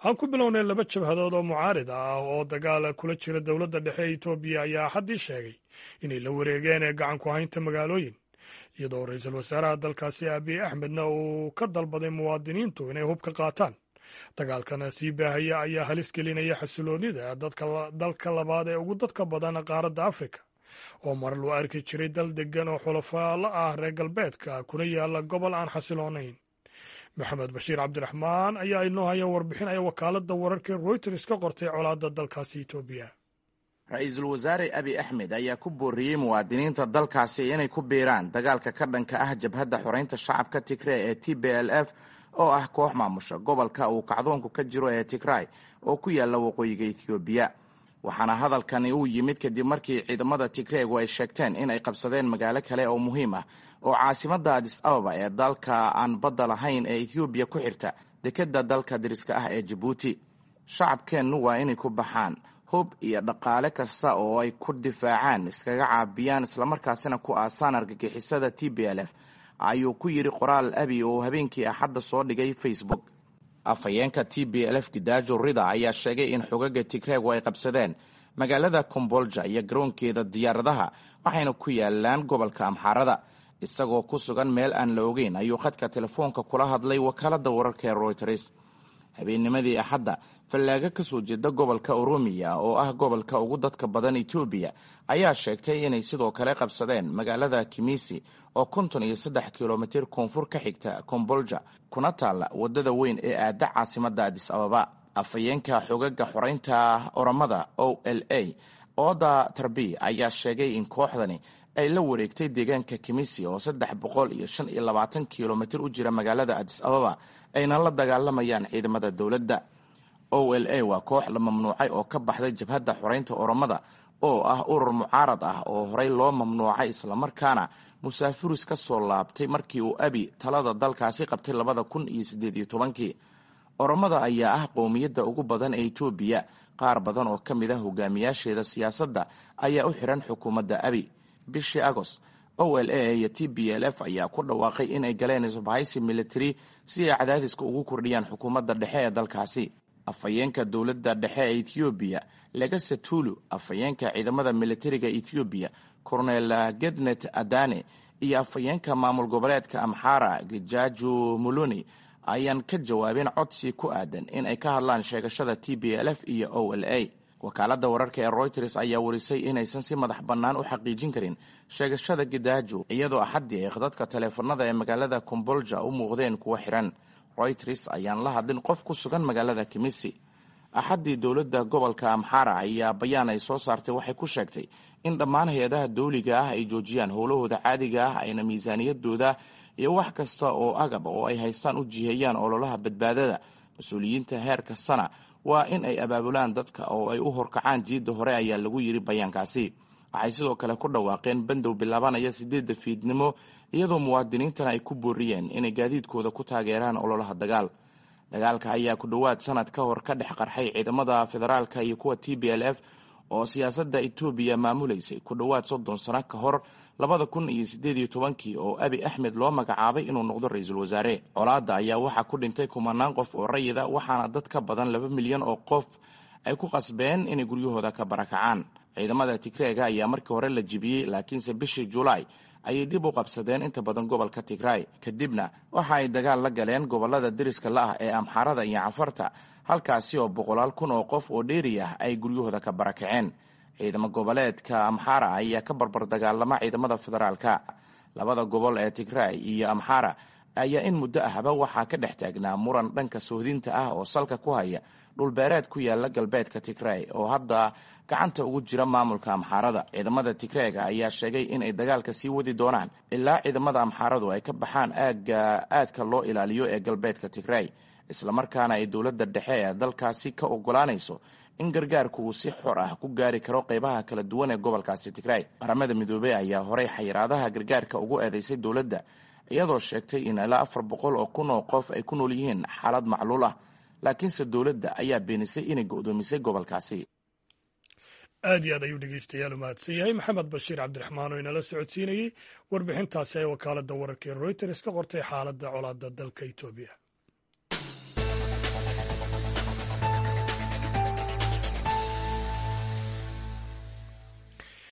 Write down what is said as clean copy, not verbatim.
Aan ku bilownay, laba jabhadood oo mucaarid ah oo dagaal kula jira dowladda dhexe ee Etoobiya ayaa Axaddii sheegay inay la wareegeen gacan ku haynta magaalooyin, iyadoo ra-iisul wasaaraha dalkaasi Abiy Axmedna uu ka dalbaday muwaadiniintu inay hub ka qaataan. Dagaalkan sii baahaya ayaa halis gelinaya xasiloonida dadka dalka labaad ee ugu dadka badan qaaradda Afrika, oo mar loo arki jiray dal degan oo xulafaalo ah reer galbeedka, kuna yaala gobol aan xasiloonayn. Maxamed Bashiir Cabdiraxmaan ayaa inoo haya warbixin ay wakaaladda wararka Reuters ka qortay colaadda dalkaasi Etoobiya. Ra-iisul Wasaare Abi Axmed ayaa ku booriyey muwaadiniinta dalkaasi inay ku biiraan dagaalka ka dhanka ah Jabhadda Xoreynta Shacabka Tigrey ee TPLF, oo ah koox maamusha gobolka uu kacdoonku ka jiro ee Tigray oo ku yaalla waqooyiga Ethoobiya. Waxaana hadalkani uu yimid kadib markii ciidamada Tigreegu ay sheegteen in ay qabsadeen magaalo kale oo muhiim ah oo caasimadda Adis Ababa ee dalka aan badda lahayn ee Ethoobiya ku xirta dekedda dalka deriska ah ee Jabuuti. "Shacabkeennu waa inay ku baxaan hub iyo dhaqaale kasta oo ay ku difaacaan, iskaga caabiyaan, islamarkaasina ku aasaan argagixisada TPLF," ayuu ku yidhi qoraal Abi oo habeenkii Axadda soo dhigay Facebook. Afhayeenka TPLF Gidaajo Rida ayaa sheegay in xogaga Tigreegu ay qabsadeen magaalada Kombolja iyo garoonkeeda diyaaradaha, waxayna ku yaalaan gobolka Amxaarada. Isagoo ku sugan meel aan la ogeyn ayuu khadka telefoonka kula hadlay wakaaladda wararka ee Reuters habeennimadii Axadda. Fallaago kasoo jeeda gobolka Oromiya, oo ah gobolka ugu dadka badan Etoobiya, ayaa sheegtay inay sidoo kale qabsadeen magaalada Kimisi oo 53 kilomitir koonfur ka xigta Kombolja, kuna taalla waddada weyn ee aada caasimadda Adis Ababa. Afhayeenka xogaga xoreynta Oromada OLA, Oda Tarbi, ayaa sheegay in kooxdani ay la wareegtay deegaanka Kimisi oo 325 kilomitir u jira magaalada Adis Ababa, ayna la dagaalamayaan ciidamada dowladda. OLA waa koox la mamnuucay oo ka baxday Jabhadda Xoreynta Oromada, oo ah urur mucaarad ah oo horey loo mamnuucay, islamarkaana musaafiris ka soo laabtay markii uu Abi talada dalkaasi qabtay 2018-kii. Oromada ayaa ah qowmiyadda ugu badan ee Etoobiya. Qaar badan oo ka mid ah hogaamiyaasheeda siyaasadda ayaa u xiran xukuumadda Abi. Bishii Agost, OLA iyo TPLF ayaa ku dhawaaqay inay galeen isbahaysi military si ay cadaadiska ugu kordhiyaan xukuumadda dhexe ee dalkaasi. Afhayeenka dowladda dhexe ee Ethoobiya Legesse Tulu, afhayeenka ciidamada militariga Ethoobiya Cornel Gednet Adane iyo afhayeenka maamul goboleedka Amxara Gejaju Muluni ayaan ka jawaabin codsi ku aadan in ay ka hadlaan sheegashada TPLF iyo OLA. Wakaaladda wararka ee Reuters ayaa warisay inaysan si madax bannaan u xaqiijin karin sheegashada Gidaajo, iyadoo Axaddii ay khadadka taleefanada ee magaalada Kombolja u muuqdeen kuwo xiran. Reuters ayaan la hadlin qof ku sugan magaalada Kimisi Axaddii. Dowladda gobolka Amxara ayaa bayaan ay soo saartay waxay ku sheegtay in dhammaan hay-adaha dowliga ah ay joojiyaan howlahooda caadiga ah, ayna miisaaniyadooda iyo wax kasta oo agab oo ay haystaan u jiheeyaan ololaha badbaadada. Mas-uuliyiinta heer kastana waa in ay abaabulaan dadka oo ay u horkacaan jiidda hore, ayaa lagu yidhi bayaankaasi. Waxay sidoo kale ku dhawaaqeen bandow bilaabanaya 8-da fiidnimo, iyadoo muwaadiniintana ay ku booriyeen inay gaadiidkooda ku taageeraan ololaha dagaal. Dagaalka ayaa ku dhowaad sanad ka hor ka dhex qarxay ciidamada federaalka iyo kuwa TPLF oo siyaasadda Etoobiya maamulaysay ku dhowaad 30 sano ka hor 2018-kii oo Abi Axmed loo magacaabay inuu noqdo ra-iisul wasaare. Colaadda ayaa waxaa ku dhintay kumanaan qof oo rayida, waxaana dad ka badan 2 milyan oo qof ay ku qasbeen inay guryahooda ka barakacaan. Ciidamada Tigreega ayaa markii hore la jibiyey, laakiinse bishii Julaay ayay dib u qabsadeen inta badan gobolka Tigray. Kadibna waxa ay dagaal la galeen gobolada deriska la ah ee Amxaarada iyo Cafarta, halkaasi oo boqolaal kun oo qof oo dheeri ah ay guryahooda ka barakaceen. Ciidamo goboleedka Amxaara ayaa ka barbar dagaalama ciidamada federaalka. Labada gobol ee Tigray iyo Amxaara ayaa in muddo ahba waxaa ka dhex taagnaa muran dhanka sohdinta ah oo salka ku haya dhulbeereed ku yaala galbeedka Tigray oo hadda gacanta ugu jira maamulka Amxaarada. Ciidamada Tigreega ayaa sheegay inay dagaalka sii wadi doonaan ilaa ciidamada Amxaaradu ay ka baxaan aagga aadka loo ilaaliyo ee galbeedka Tigray, islamarkaana ay dowladda dhexe ee dalkaasi ka ogolaanayso in gargaarku uu si xor ah ku gaari karo qeybaha kala duwan ee gobolkaasi Tigray. Qaramada Midoobey ayaa horey xayiraadaha gargaarka ugu eedeysay dowladda, iyadoo sheegtay in ilaa 400,000 oo qof ay ku nool yihiin xaalad macluul ah, laakiinse dowladda ayaa beenisay inay go'doomisay gobolkaasi. Aad iyo aad ayuu dhegeystayaal u mahadsan yahay Maxamed Bashiir Cabdiraxmaan oo inala socodsiinayey warbixintaasi ay wakaaladda wararka ee Reuters ka qortay xaaladda colaadda dalka Etoobiya.